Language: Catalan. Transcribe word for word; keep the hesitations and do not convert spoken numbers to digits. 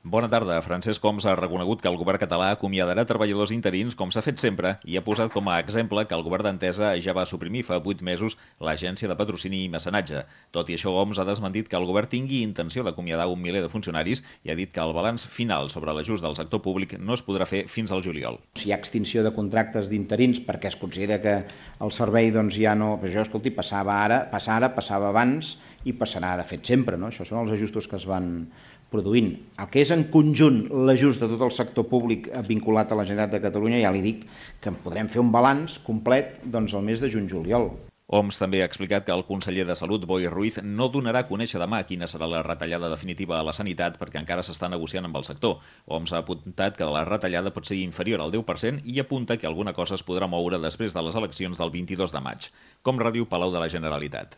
Bona tarda. Francesc Homs ha reconegut que el govern català acomiadarà treballadors interins com s'ha fet sempre i ha posat com a exemple que el govern d'Entesa ja va suprimir fa vuit mesos l'agència de patrocini i mecenatge. Tot i això, Homs ha desmentit que el govern tingui intenció d'acomiadar un miler de funcionaris i ha dit que el balanç final sobre l'ajust del sector públic no es podrà fer fins al juliol. Si hi ha extinció de contractes d'interins perquè es considera que el servei doncs, ja no... Però això, escolti, passava ara, passa ara, passava abans i passarà de fet sempre. No? Això són els ajustos que es van produint. El que és en conjunt l'ajust de tot el sector públic vinculat a la Generalitat de Catalunya, ja li dic que en podrem fer un balanç complet doncs, el mes de juny-juliol. Homs també ha explicat que el conseller de Salut, Boi Ruiz, no donarà a conèixer demà quina serà la retallada definitiva a la sanitat perquè encara s'està negociant amb el sector. Homs ha apuntat que la retallada pot ser inferior al deu per cent i apunta que alguna cosa es podrà moure després de les eleccions del vint-i-dos de maig. Com ràdio Palau de la Generalitat.